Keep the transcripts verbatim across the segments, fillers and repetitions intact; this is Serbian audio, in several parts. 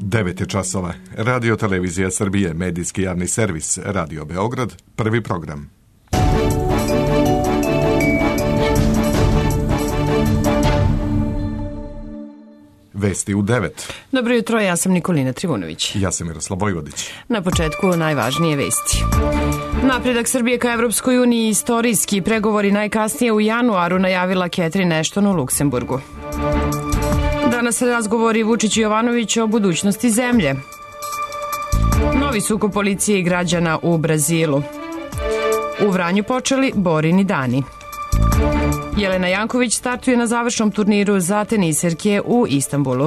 devet je časova. Radio Televizija Srbije, medijski javni servis, Radio Beograd, prvi program. Vesti u devet. Dobro jutro, ja sam Nikolina Trivunović. Ja sam Miroslav Vojvodić. Na početku najvažnije vesti. Napredak Srbije ka Evropskoj uniji istorijski, pregovori najkasnije u januaru, najavila Catherine Ashton u Luksemburgu. Danas razgovori Vučić i Jovanović o budućnosti zemlje. Novi sukob policije i građana u Brazilu. U Vranju počeli Borini dani. Jelena Janković startuje na završnom turniru za teniserke u Istanbulu.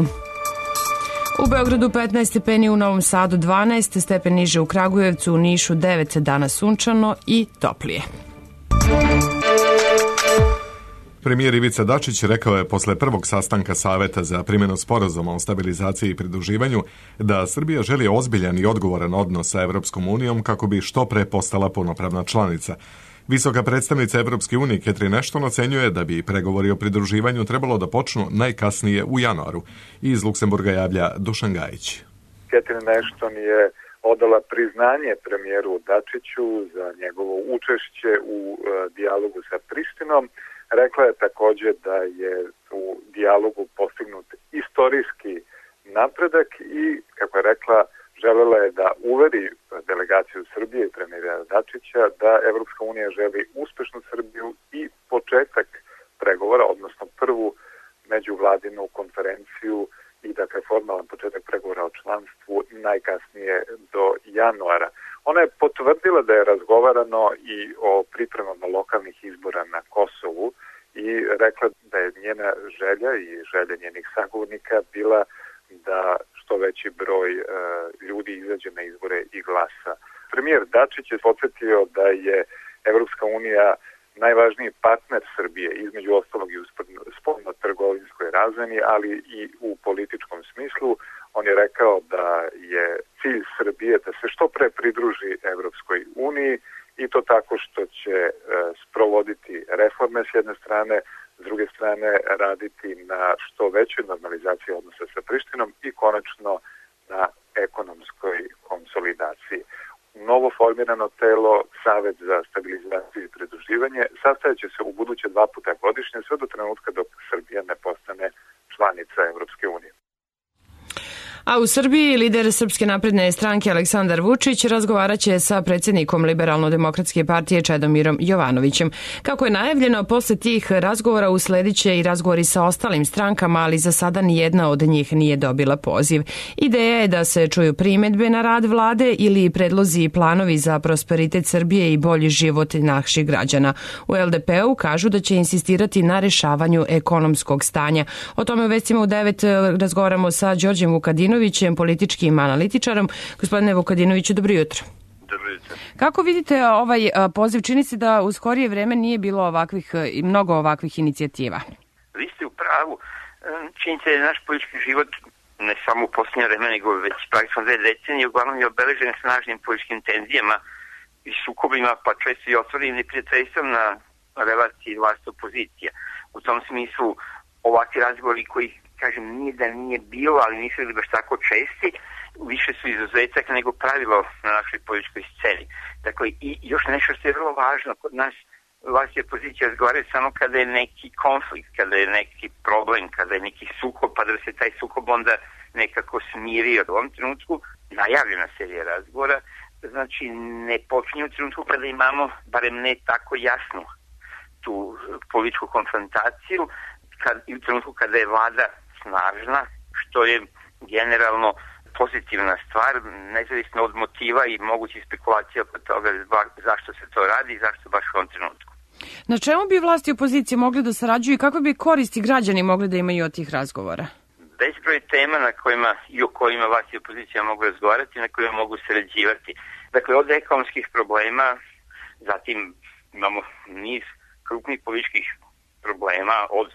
U Beogradu petnaest stepeni, u Novom Sadu dvanaest, stepen niže u Kragujevcu, u Nišu devet, danas sunčano i toplije. Premijer Ivica Dačić rekao je posle prvog sastanka Saveta za primjenu sporazuma o stabilizaciji i pridruživanju da Srbija želi ozbiljan i odgovoran odnos sa Evropskom unijom kako bi što pre postala punopravna članica. Visoka predstavnica Evropske unije Catherine Ashton ocenjuje da bi pregovori o pridruživanju trebalo da počnu najkasnije u januaru. Iz Luksemburga javlja Dušan Gajić. Catherine Ashton je odala priznanje premijeru Dačiću za njegovo učešće u e, dijalogu sa Prištinom. Rekla je također da je u dijalogu postignut istorijski napredak i, kako je rekla, želela je da uveri delegaciju Srbije i premijera Dačića da Evropska unija želi uspešnu Srbiju i početak pregovora, odnosno prvu međuvladinu konferenciju i dakle formalan početak pregovora o članstvu najkasnije do januara. Ona je potvrdila da je razgovarano i o pripremama lokalnih izbora na Kosovu i rekla da je njena želja i želja njenih sagovornika bila da što veći broj e, ljudi izađe na izbore i glasa. Premijer Dačić je podsjetio da je Evropska unija najvažniji partner Srbije, između ostalog i u spoljno-trgovinskoj razmeni, ali i u političkom smislu. On je rekao da je cilj Srbije da se što pre pridruži Evropskoj uniji i to tako što će e, sprovoditi reforme s jedne strane, s druge strane raditi na što većoj normalizaciji odnosa sa Prištinom i konačno na ekonomskoj konsolidaciji. Novo formirano telo, Savet za stabilizaciju i pridruživanje, sastajaće se u buduće dva puta godišnje sve do trenutka dok Srbija ne postane članica Evropske unije. A u Srbiji lider Srpske napredne stranke Aleksandar Vučić razgovaraće sa predsjednikom Liberalno-demokratske partije Čedomirom Jovanovićem. Kako je najavljeno, posle tih razgovora uslediće i razgovori sa ostalim strankama, ali za sada nijedna od njih nije dobila poziv. Ideja je da se čuju primjedbe na rad vlade ili predlozi i planovi za prosperitet Srbije i bolji život naših građana. U el de pe u kažu da će insistirati na rešavanju ekonomskog stanja. O tome u vestima u devet razgovaramo sa Đorđem Vukadinovićem, političkim analitičarom. Gospodine Vukadinoviću, dobro jutro. Dobro jutro. Kako vidite ovaj poziv? Čini se da u skorije vreme nije bilo ovakvih i mnogo ovakvih inicijativa. Vi ste u pravu. Čini se da je naš politički život ne samo u posljednje vreme, nego već praktično dve decenije uglavnom je obeležen snažnim političkim tenzijama i sukobima, pa često i otvorenim neprijateljstvom na relaciji vlast opozicija. U tom smislu ovakvi razgovori koji, kažem, nije da nije bilo, ali nisu bili baš tako česti, više su izuzetak nego pravilo na našoj političkoj sceni. Dakle, i još nešto što je vrlo važno, kod nas vlast i opozicija razgovaraju samo kada je neki konflikt, kada je neki problem, kada je neki sukob, pa da se taj sukob onda nekako smirio. U ovom trenutku najavljena serija razgovora, znači ne počinje u trenutku kada imamo, barem ne tako jasnu, tu političku konfrontaciju, kad, i u trenutku kada je vlada snažna, što je generalno pozitivna stvar, nezavisno od motiva i mogućih spekulacija oko toga zašto se to radi i zašto baš u ovom trenutku. Na čemu bi vlast i opozicija mogli da sarađuju i kako bi koristi građani mogli da imaju od tih razgovora? Bezbroj tema na kojima i o kojima vlast i opozicija mogu razgovarati, na kojima mogu sarađivati. Dakle, od ekonomskih problema, zatim imamo niz krupnih političkih problema od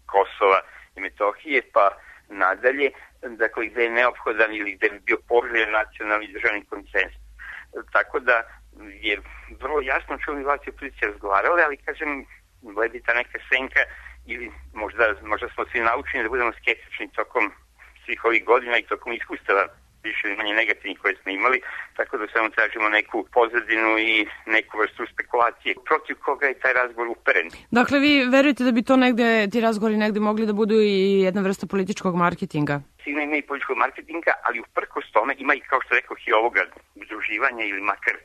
Kosova i Metohije, pa nadalje, dakle, gde je neophodan ili gde bi bio poželjen nacionalni državni konsenzus. Tako da je vrlo jasno čemu bi vlast i opozicija razgovarali, ali, kažem, gledi ta neka senka ili možda, možda smo svi naučeni da budemo skeptični tokom svih svih ovih godina i tokom iskustava više ili manje negativnih koje smo imali, tako da samo tražimo neku pozadinu i neku vrstu spekulacije protiv koga je taj razgovor uperen. Dakle, vi verujete da bi to negde, ti razgovori negde mogli da budu i jedna vrsta političkog marketinga? Sigurno ima i političkog marketinga, ali uprkos tome ima i, kao što rekao, i ovoga udruživanja ili makar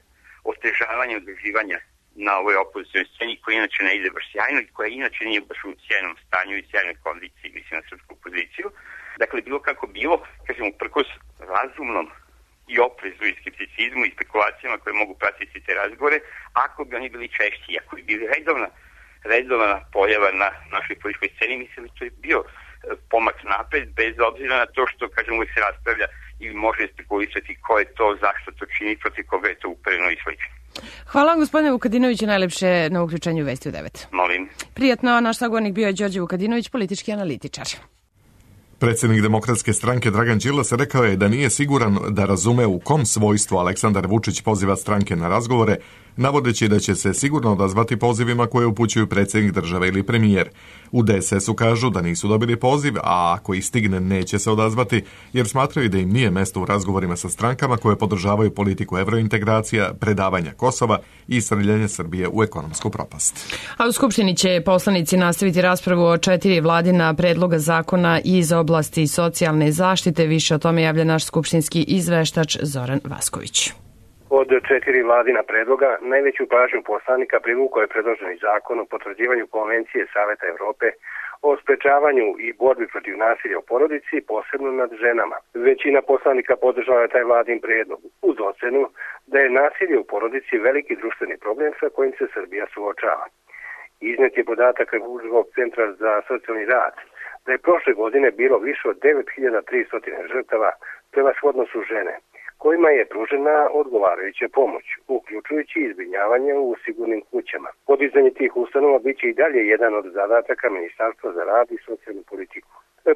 otežavanja udruživanja na ovoj opozicijnoj sceni koja inače ne ide baš sjajno i koja inače nije baš u sjajnom stanju i sjajnoj kondiciji, mislim na srpsku opoziciju. Dakle, bilo kako bilo, kažem, uprkos razumnom i oprezu i skepticizmu i spekulacijama koje mogu pratiti te razgovore, ako bi oni bili češći, ako bi bili redovna, redovna pojava na našoj političkoj sceni, mislim da to je bio pomak napred, bez obzira na to što, kažem, uvijek se raspravlja ili može spekulisati ko je to, zašto to čini, protiv koga je to upereno i slično. Hvala vam, gospodine Vukadinoviću, najlepše na uključenju Vesti u devet. Molim. Prijatno, naš sagovornik bio je Đorđe Vukadinović, politički analitičar. Predsjednik Demokratske stranke Dragan Đilas rekao je da nije siguran da razume u kom svojstvu Aleksandar Vučić poziva stranke na razgovore, navodeći da će se sigurno odazvati pozivima koje upućuju predsjednik države ili premijer. U D S S-u kažu da nisu dobili poziv, a ako ih stigne neće se odazvati, jer smatraju da im nije mesto u razgovorima sa strankama koje podržavaju politiku evrointegracija, predavanja Kosova i srljanje Srbije u ekonomsku propast. A u Skupštini će poslanici nastaviti raspravu o četiri vladina predloga zakona iz oblasti socijalne zaštite. Više o tome javlja naš skupštinski izveštač Zoran Vasković. Od četiri vladina predloga najveću pažnju poslanika privukao je predloženi zakon o potvrđivanju Konvencije Saveta Evrope o sprečavanju i borbi protiv nasilja u porodici, posebno nad ženama. Većina poslanika podržala je taj vladin predlog, uz ocenu da je nasilje u porodici veliki društveni problem sa kojim se Srbija suočava. Iznet je podatak Republičkog centra za socijalni rad da je prošle godine bilo više od devet hiljada tristo žrtava, prevashodno su žene, kojima je pružena odgovarajuća pomoć, uključujući izbrinjavanje u sigurnim kućama. Podizanje tih ustanova biće i dalje jedan od zadataka Ministarstva za rad i socijalnu politiku.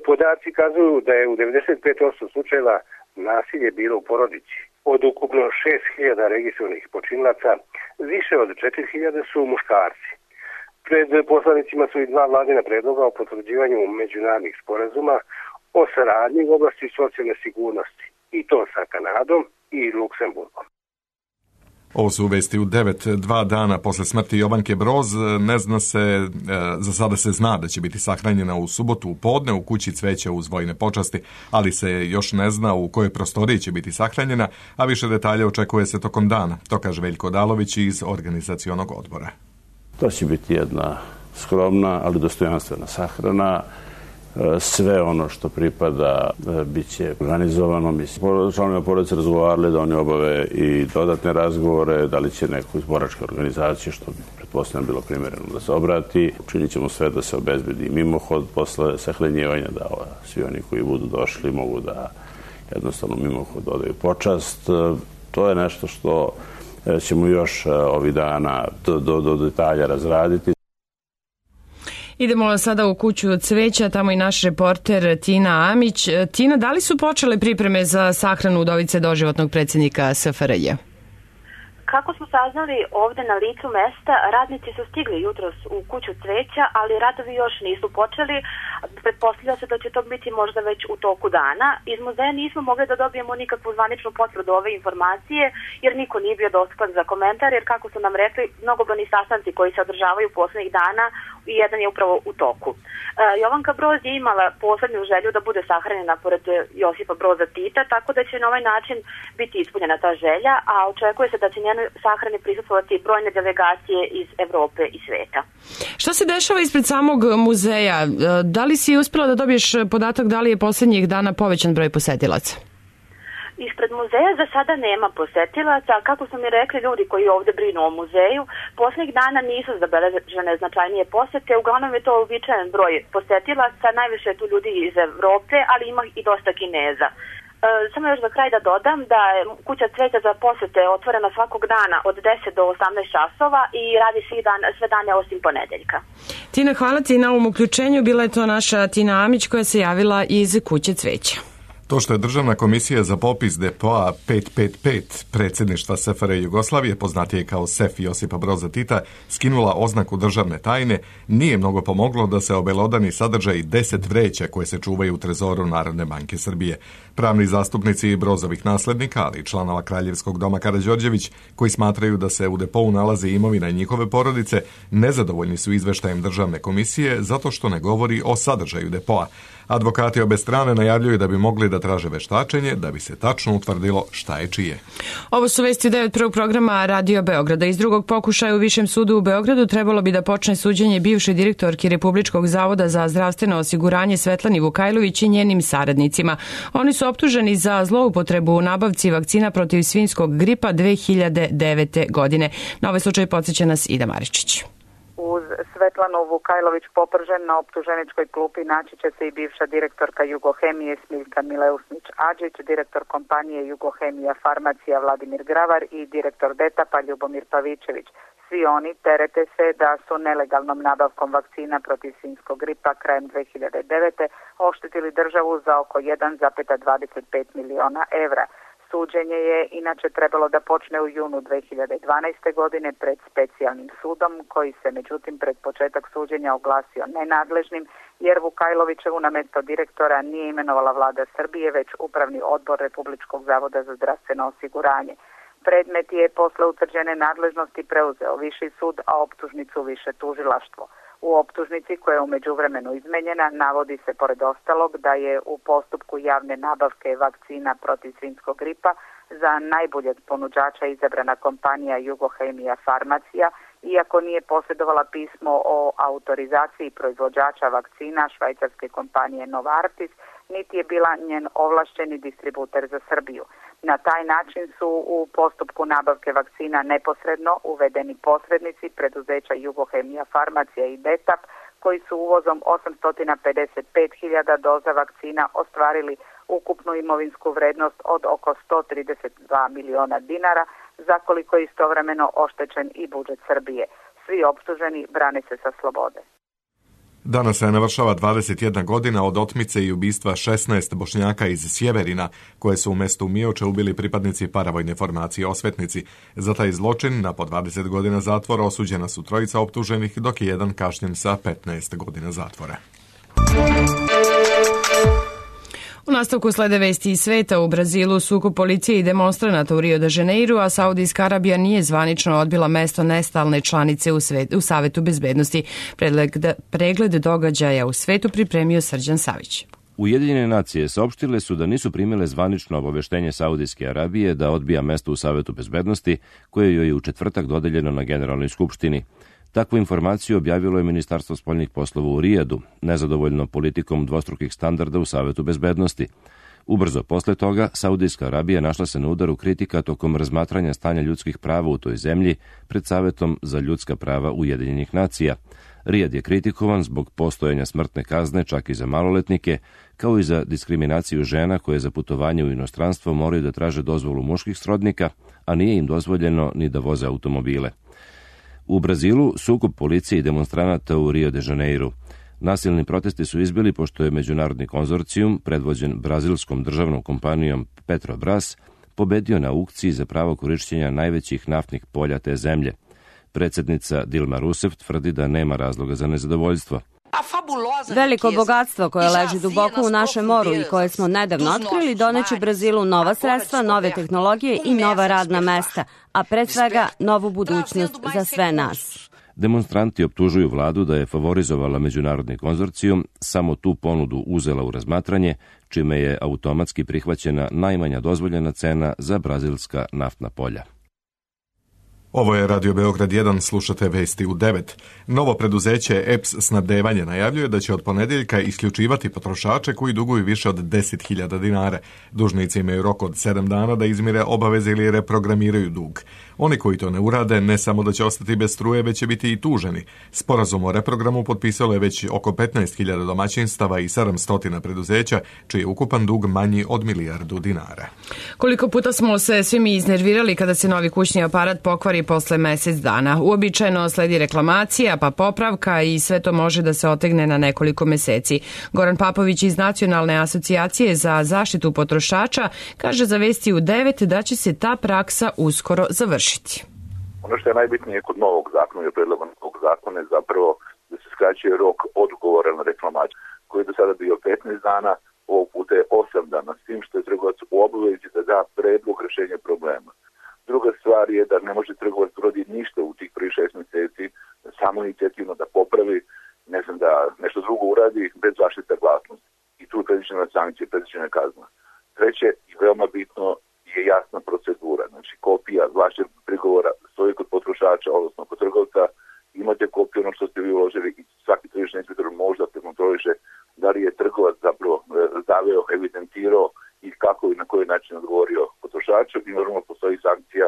Podaci kazuju da je u devedeset pet posto slučajeva nasilje bilo u porodici. Od ukupno šest hiljada registrovanih počinilaca, više od četiri hiljade su muškarci. Pred poslanicima su i dva vladina predloga o potvrđivanju međunarodnih sporazuma o saradnji u oblasti socijalne sigurnosti, i to sa Kanadom i Luksemburgom. Ovo su vesti u devet, dva dana posle smrti Jovanke Broz. Ne zna se, za sada se zna da će biti sahranjena u subotu u podne u kući Cveća uz vojne počasti, ali se još ne zna u kojoj prostoriji će biti sahranjena, a više detalja očekuje se tokom dana. To kaže Veljko Odalović iz organizacionog odbora. To će biti jedna skromna, ali dostojanstvena sahrana. Sve ono što pripada bit će organizovano. Mislim, članovi porodice razgovarali da oni obave i dodatne razgovore, da li će neku iz boračke organizacije, što bi pretpostavljeno bilo primjereno da se obrati. Učinit ćemo sve da se obezbedi mimohod posle sahranjivanja, da svi oni koji budu došli mogu da jednostavno mimohod odaju počast. To je nešto što ćemo još ovih dana do, do, do detalja razraditi. Idemo sada u kuću Cveća, tamo i naš reporter Tina Amić. Tina, da li su počele pripreme za sahranu udovice doživotnog predsjednika S F R J? Kako smo saznali ovde na licu mesta, radnici su stigli jutros u kuću Cveća, ali radovi još nisu počeli. Pretpostavlja se da će to biti možda već u toku dana. Iz muzeja nismo mogli da dobijemo nikakvu zvaničnu potvrdu ove informacije, jer niko nije bio dostupan za komentar, jer kako su nam rekli, mnogobrojni sastanci koji se održavaju poslednjih dana i jedan je upravo u toku. E, Jovanka Broz je imala poslednju želju da bude sahranjena pored Josipa Broza Tita, tako da će na ovaj način biti ispunjena ta želja, a očekuje se da će njena sahrani prisustvovati brojne delegacije iz Evrope i sveta. Šta se dešava ispred samog muzeja? Da li si uspela da dobiješ podatak da li je posljednjih dana povećan broj posetilaca? Ispred muzeja za sada nema posetilaca, kako su mi rekli ljudi koji ovde brinu o muzeju, posljednjih dana nisu zabeležene značajnije posete, uglavnom je to uobičajen broj posetilaca, najviše je tu ljudi iz Evrope, ali ima i dosta Kineza. E, samo još za kraj da dodam da je kuća Cveća za posete otvorena svakog dana od deset do osamnaest časova i radi svi dan, sve dane osim ponedeljka. Tina, hvala ti na ovom uključenju. Bila je to naša Tina Amić koja se javila iz kuće Cveća. To što je Državna komisija za popis depoa pet pet pet predsjedništva S F R J Jugoslavije, poznatije kao S E F Josipa Broza Tita, skinula oznaku državne tajne, nije mnogo pomoglo da se obelodani sadržaj deset vreća koje se čuvaju u trezoru Narodne banke Srbije. Pravni zastupnici Brozovih naslednika, ali i članova Kraljevskog doma Karađorđević, koji smatraju da se u depou nalazi imovina njihove porodice, nezadovoljni su izveštajem Državne komisije zato što ne govori o sadržaju depoa. Advokati obe strane najavljuju da bi mogli da traže veštačenje da bi se tačno utvrdilo šta je čije. Ovo su vesti u devet prvog programa Radio Beograda. Iz drugog pokušaja u Višem sudu u Beogradu trebalo bi da počne suđenje bivšoj direktorki Republičkog zavoda za zdravstveno osiguranje Svetlani Vukajlović i njenim saradnicima. Oni su optuženi za zloupotrebu u nabavci vakcina protiv svinjskog gripa dve hiljade devete. godine. Na ovaj slučaj podsjeća nas Ida Maričić. Uz Svetlanu Vukajlović popržen na optuženičkoj klupi naći će se i bivša direktorka Jugohemije Smiljka Mileusnić-Adžić, direktor kompanije Jugohemija Farmacija Vladimir Gravar i direktor Detapa Ljubomir Pavičević. Svi oni terete se da su nelegalnom nabavkom vakcina protiv svinjskog gripa krajem dve hiljade devete. oštetili državu za oko jedan zarez dvadeset pet miliona evra. Suđenje je inače trebalo da počne u junu dve hiljade dvanaeste. godine pred specijalnim sudom, koji se međutim pred početak suđenja oglasio nenadležnim, jer Vukajlovićevu na mesto direktora nije imenovala vlada Srbije, već Upravni odbor Republičkog zavoda za zdravstveno osiguranje. Predmet je posle utvrđene nadležnosti preuzeo Viši sud, a optužnicu Više tužilaštvo. U optužnici, koja je u međuvremenu izmenjena, navodi se pored ostalog da je u postupku javne nabavke vakcina protiv svinjskog gripa za najboljeg ponuđača izabrana kompanija Jugohemija Farmacija, iako nije posjedovala pismo o autorizaciji proizvođača vakcina švajcarske kompanije Novartis, niti je bila njen ovlašćeni distributer za Srbiju. Na taj način su u postupku nabavke vakcina neposredno uvedeni posrednici preduzeća Jugohemija Farmacija i Detap, koji su uvozom osamsto pedeset pet hiljada doza vakcina ostvarili ukupnu imovinsku vrednost od oko sto trideset dva miliona dinara, za koliko je istovremeno oštećen i budžet Srbije. Svi optuženi brane se sa slobode. Danas se navršava dvadeset jedna godina od otmice i ubistva šesnaest Bošnjaka iz Sjeverina, koje su u mestu Mioče ubili pripadnici paravojne formacije Osvetnici. Za taj zločin na po dvadeset godina zatvora osuđena su trojica optuženih, dok je jedan kažnjen sa petnaest godina zatvora. U nastavku slede vesti iz sveta. U Brazilu sukob policije i demonstranata u Rio de Janeiru, a Saudijska Arabija nije zvanično odbila mesto nestalne članice u, svet, u Savetu bezbednosti. Pregled, pregled događaja u svetu pripremio Srđan Savić. Ujedinjene nacije saopštile su da nisu primile zvanično obaveštenje Saudijske Arabije da odbija mesto u Savetu bezbednosti, koje joj je u četvrtak dodeljeno na Generalnoj skupštini. Takvu informaciju objavilo je Ministarstvo spoljnih poslova u Rijadu, nezadovoljno politikom dvostrukih standarda u Savetu bezbednosti. Ubrzo posle toga, Saudijska Arabija našla se na udaru kritika tokom razmatranja stanja ljudskih prava u toj zemlji pred Savetom za ljudska prava Ujedinjenih nacija. Rijad je kritikovan zbog postojanja smrtne kazne čak i za maloletnike, kao i za diskriminaciju žena koje za putovanje u inostranstvo moraju da traže dozvolu muških srodnika, a nije im dozvoljeno ni da voze automobile. U Brazilu sukob policije i demonstranata u Rio de Janeiru. Nasilni protesti su izbili pošto je međunarodni konzorcijum, predvođen brazilskom državnom kompanijom Petrobras, pobedio na aukciji za pravo korišćenja najvećih naftnih polja te zemlje. Predsjednica Dilma Rousseff tvrdi da nema razloga za nezadovoljstvo. Veliko bogatstvo koje leži duboko u našem moru i koje smo nedavno otkrili doneće Brazilu nova sredstva, nove tehnologije i nova radna mesta, a pred svega novu budućnost za sve nas. Demonstranti optužuju vladu da je favorizovala međunarodni konzorcijum, samo tu ponudu uzela u razmatranje, čime je automatski prihvaćena najmanja dozvoljena cena za brazilska naftna polja. Ovo je Radio Beograd jedan, slušate vesti u devet. Novo preduzeće E P S snabdevanje najavljuje da će od ponedjeljka isključivati potrošače koji duguju više od deset hiljada dinara. Dužnici imaju rok od sedam dana da izmire obaveze ili reprogramiraju dug. Oni koji to ne urade, ne samo da će ostati bez struje, već će biti i tuženi. Sporazum o reprogramu potpisalo je već oko petnaest hiljada domaćinstava i sedamsto preduzeća, čiji je ukupan dug manji od milijardu dinara. Koliko puta smo se svi mi iznervirali kada se novi kućni aparat pokvari posle mesec dana. Uobičajeno sledi reklamacija, pa popravka i sve to može da se otegne na nekoliko meseci. Goran Papović iz Nacionalne asocijacije za zaštitu potrošača kaže za Vesti u devet da će se ta praksa uskoro završiti. Ono što je najbitnije kod novog zakona i predloga novog zakona je zapravo da se skraćuje rok odgovora na reklamaciju, koji je do sada bio petnaest dana, ovog puta je osam dana, s tim što je trgovac u obavezi da da predlog rešenja problema. Druga stvar je da ne može trgovac uraditi ništa u tih prvih šest meseci, samo inicijativno da popravi, ne znam, da nešto drugo uradi bez vaše saglasnosti. I tu je predviđena sankcija, predviđena kazna. Treće i veoma bitno je jasna procedura. Znači, kopija vašeg prigovora stoji kod potrošača, odnosno kod trgovca, imate kopiju ono što ste vi uložili i svaki tržišni inspektor može da prekontroliše da li je trgovac zapravo zaveo, evidentirao i kako i na koji način odgovorio potrošaču i normalno postoji sankcija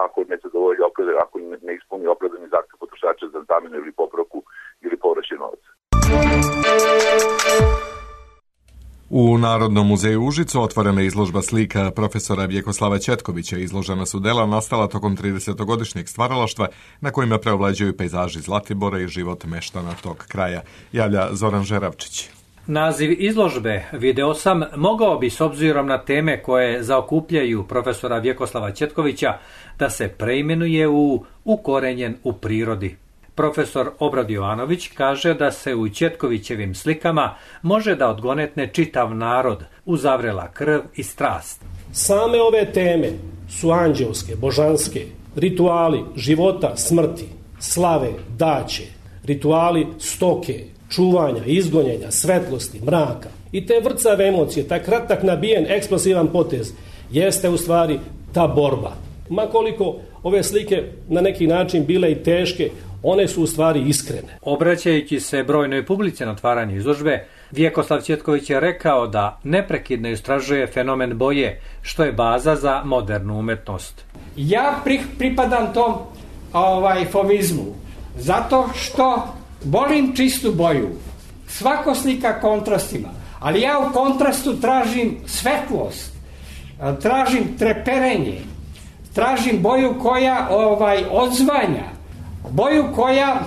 ako ne zadovolji opravdani, ako ne ispuni opravdani zahtev potrošača za zamenu ili popravku ili povraćaj novca. U Narodnom muzeju Užicu otvorena je izložba slika profesora Vjekoslava Ćetkovića. Izložena su dela nastala tokom tridesetogodišnjeg stvaralaštva na kojima preovlađuju pejzaži Zlatibora i život meštana tog kraja. Javlja Zoran Žeravčić. Naziv izložbe, video sam, mogao bi s obzirom na teme koje zaokupljaju profesora Vjekoslava Ćetkovića da se preimenuje u Ukorenjen u prirodi. Profesor Obrad Jovanović kaže da se u Ćetkovićevim slikama može da odgonetne čitav narod, uzavrela krv i strast. Same ove teme su anđelske, božanske, rituali života, smrti, slave, daće, rituali stoke, čuvanja, izgonjenja, svetlosti, mraka. I te vrcave emocije, taj kratak nabijen, eksplosivan potez, jeste u stvari ta borba. Makoliko ove slike na neki način bile i teške, one su u stvari iskrene. Obraćajući se brojnoj publici na otvaranju izložbe, Vjekoslav Ćetković je rekao da neprekidno istražuje fenomen boje, što je baza za modernu umetnost. Ja pripadam tom ovaj, fovizmu, zato što volim čistu boju. Svako slika kontrastima, ali ja u kontrastu tražim svetlost, tražim treperenje, tražim boju koja ovaj, odzvanja, boju koja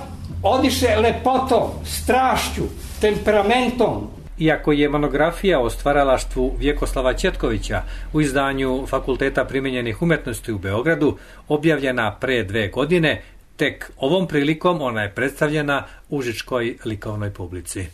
odiše lepotom, strašću, temperamentom. Iako je monografija o stvaralaštvu Vjekoslava Ćetkovića u izdanju Fakulteta primenjenih umetnosti u Beogradu objavljena pre dve godine, tek ovom prilikom ona je predstavljena užičkoj likovnoj publici.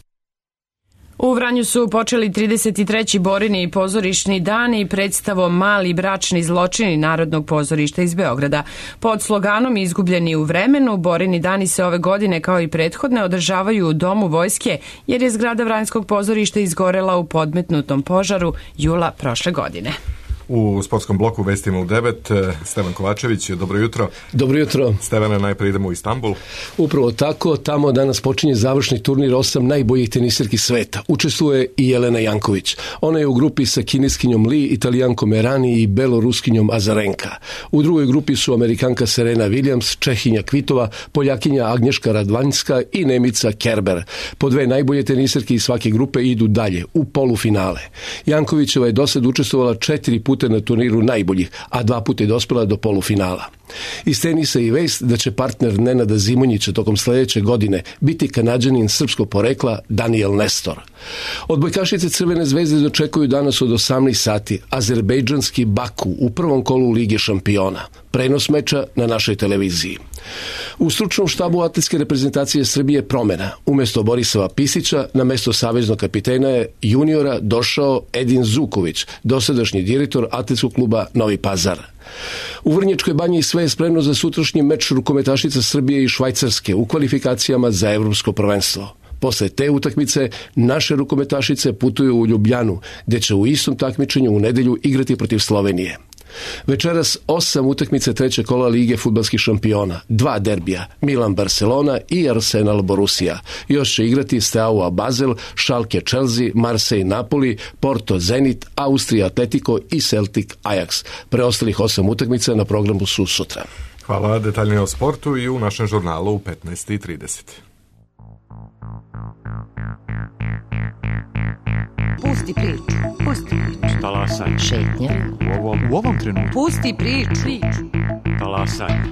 U Vranju su počeli trideset treći Borini pozorišni dani predstavom Mali bračni zločini Narodnog pozorišta iz Beograda. Pod sloganom Izgubljeni u vremenu, Borini dani se ove godine kao i prethodne održavaju u Domu vojske, jer je zgrada Vranjskog pozorišta izgorela u podmetnutom požaru jula prošle godine. U sportskom bloku Vestima u devet, Stevan Kovačević, dobro jutro. Dobro jutro. Stevane, najprije idemo u Istanbul. Upravo tako, tamo danas počinje završni turnir osam najboljih tenisirki sveta. Učestvuje i Jelena Janković. Ona je u grupi sa kineskinjom Li, Italijankom Erani i beloruskinjom Azarenka. U drugoj grupi su Amerikanka Serena Williams, Čehinja Kvitova, Poljakinja Agnješka Radvanjska i Nemica Kerber. Po dve najbolje tenisirke iz svake grupe idu dalje, u polufinale. Jankovićeva je dosad učestvovala četiri puta na turniru najboljih, a dva puta je dospela do polufinala. Iz tenisa i vest da će partner Nenada Zimonjića tokom sledeće godine biti Kanađanin srpskog porekla Daniel Nestor. Odbojkašice Crvene zvezde dočekuju danas od osamnaest sati azerbejdžanski Baku u prvom kolu Lige šampiona. Prenos meča na našoj televiziji. U stručnom štabu atletske reprezentacije Srbije promena. Umesto Borisova Pisića na mesto saveznog kapitena je juniora došao Edin Zuković, dosadašnji direktor atletskog kluba Novi Pazar. U Vrnjačkoj banji sve je spremno za sutrašnji meč rukometašica Srbije i Švajcarske u kvalifikacijama za evropsko prvenstvo. Posle te utakmice naše rukometašice putuju u Ljubljanu, gde će u istom takmičenju u nedelju igrati protiv Slovenije. Večeras osam utakmice trećeg kola Lige fudbalskih šampiona, dva derbija, Milan-Barcelona i Arsenal-Borussia. Još će igrati Steaua Basel, Schalke Chelsea, Marseille-Napoli, Porto-Zenit, Austrija-Atletico i Celtic-Ajax. Preostalih osam utakmica na programu su sutra. Hvala, detaljnije o sportu i u našem žurnalu u petnaest i trideset. Pusti priču, pusti priču. Talasaj. Šetnja. U ovom, u ovom trenutku. Pusti priču. priču. talasanja.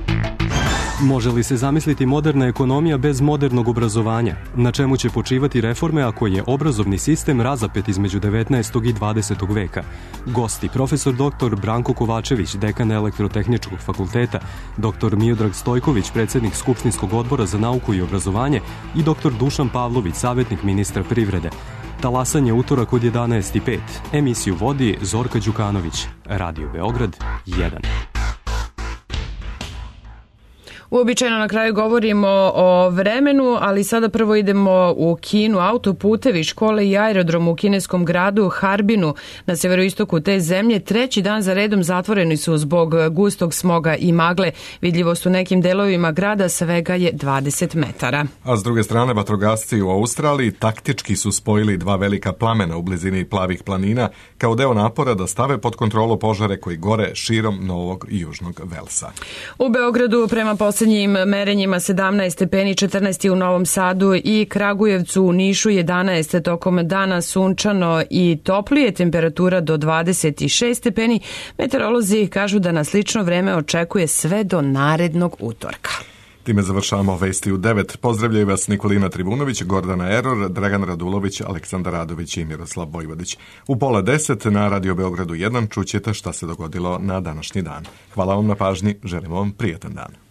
Može li se zamisliti moderna ekonomija bez modernog obrazovanja? Na čemu će počivati reforme ako je obrazovni sistem razapet između devetnaestog i dvadesetog veka? Gosti, profesor doktor Branko Kovačević, dekan Elektrotehničkog fakulteta, doktor Miodrag Stojković, predsjednik Skupštinskog odbora za nauku i obrazovanje i doktor Dušan Pavlović, savjetnik ministra privrede. Talasanje utorak od jedanaest i pet. Emisiju vodi Zorka Đukanović. Radio Beograd jedan. Uobičajeno na kraju govorimo o vremenu, ali sada prvo idemo u Kinu. Autoputevi, škole i aerodrom u kineskom gradu Harbinu na severoistoku te zemlje treći dan za redom zatvoreni su zbog gustog smoga i magle. Vidljivost u nekim delovima grada svega je dvadeset metara. A s druge strane, vatrogasci u Australiji taktički su spojili dva velika plamena u blizini Plavih planina kao deo napora da stave pod kontrolu požare koji gore širom Novog i Južnog Velsa. U Beogradu prema posljednjim merenjima sedamnaest stepeni, četrnaest u Novom Sadu i Kragujevcu, u Nišu jedanaest, tokom dana sunčano i toplije, temperatura do dvadeset šest stepeni. Meteorolozi kažu da nas slično vreme očekuje sve do narednog utorka. Time završavamo vesti u devet. Pozdravljaju vas Nikolina Tribunović, Gordana Eror, Dragan Radulović, Aleksandar Radović i Miroslav Vojvodić. U pola deset na Radio Beogradu jedan čućete šta se dogodilo na današnji dan. Hvala vam na pažnji, želimo vam prijatan dan.